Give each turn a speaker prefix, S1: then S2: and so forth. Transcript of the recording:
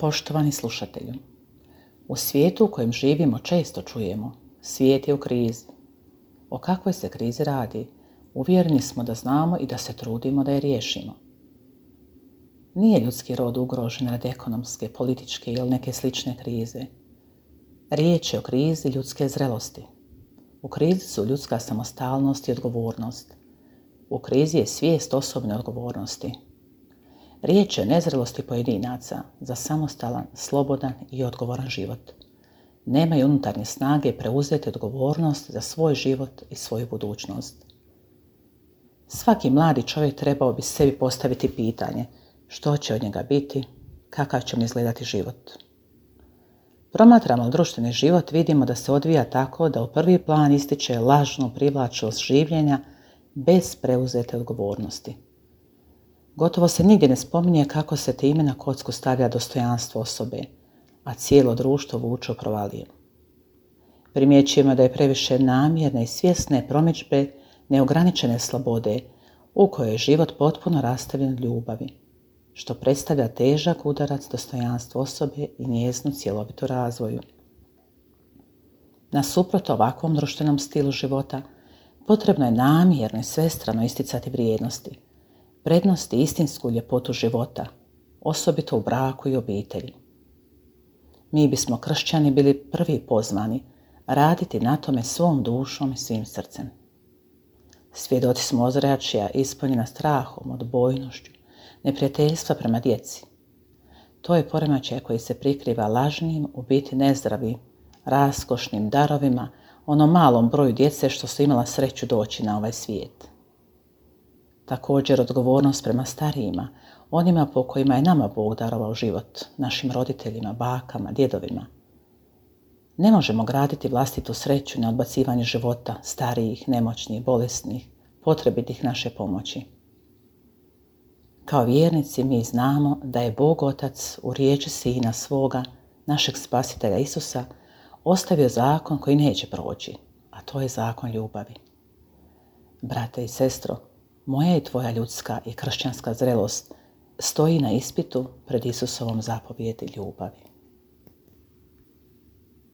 S1: Poštovani slušatelju, u svijetu u kojem živimo često čujemo, svijet je u krizi. O kakvoj se krizi radi? Uvjereni smo da znamo i da se trudimo da je riješimo. Nije ljudski rod ugrožen radi ekonomske, političke ili neke slične krize. Riječ je o krizi ljudske zrelosti. U krizi su ljudska samostalnost i odgovornost. U krizi je svijest osobne odgovornosti. Riječ je o nezrelosti pojedinaca za samostalan, slobodan i odgovoran život. Nemaju unutarnje snage preuzeti odgovornost za svoj život i svoju budućnost. Svaki mladi čovjek trebao bi sebi postaviti pitanje što će od njega biti, kakav će mu izgledati život. Promatramo društveni život, vidimo da se odvija tako da u prvi plan ističe lažnu privlačnost življenja bez preuzete odgovornosti. Gotovo se nigdje ne spominje kako se time na kocku stavlja dostojanstvo osobe, a cijelo društvo vuče u provaliju. Primjećujemo da je previše namjerne i svjesne promidžbe neograničene slobode u kojoj je život potpuno rastavljen od ljubavi, što predstavlja težak udarac dostojanstva osobe i njezinu cjelovitu razvoju. Nasuprot ovakvom društvenom stilu života, potrebno je namjerno i svestrano isticati vrijednosti, prednosti i istinsku ljepotu života, osobito u braku i obitelji. Mi bismo kršćani bili prvi pozvani raditi na tome svom dušom i svim srcem. Svjedoci smo ozračja ispunjena strahom, odbojnošću, neprijateljstva prema djeci. To je poremećaj koji se prikriva lažnim, u biti nezdravim, raskošnim darovima, onom malom broju djece što su imala sreću doći na ovaj svijet. Također odgovornost prema starijima, onima po kojima je nama Bog darovao život, našim roditeljima, bakama, djedovima. Ne možemo graditi vlastitu sreću na odbacivanje života starijih, nemoćnih, bolesnih, potrebitih naše pomoći. Kao vjernici mi znamo da je Bog Otac u riječi Sina svoga, našeg Spasitelja Isusa, ostavio zakon koji neće proći, a to je zakon ljubavi. Brate i sestro, moja i tvoja ljudska i kršćanska zrelost stoji na ispitu pred Isusovom zapovjedi ljubavi.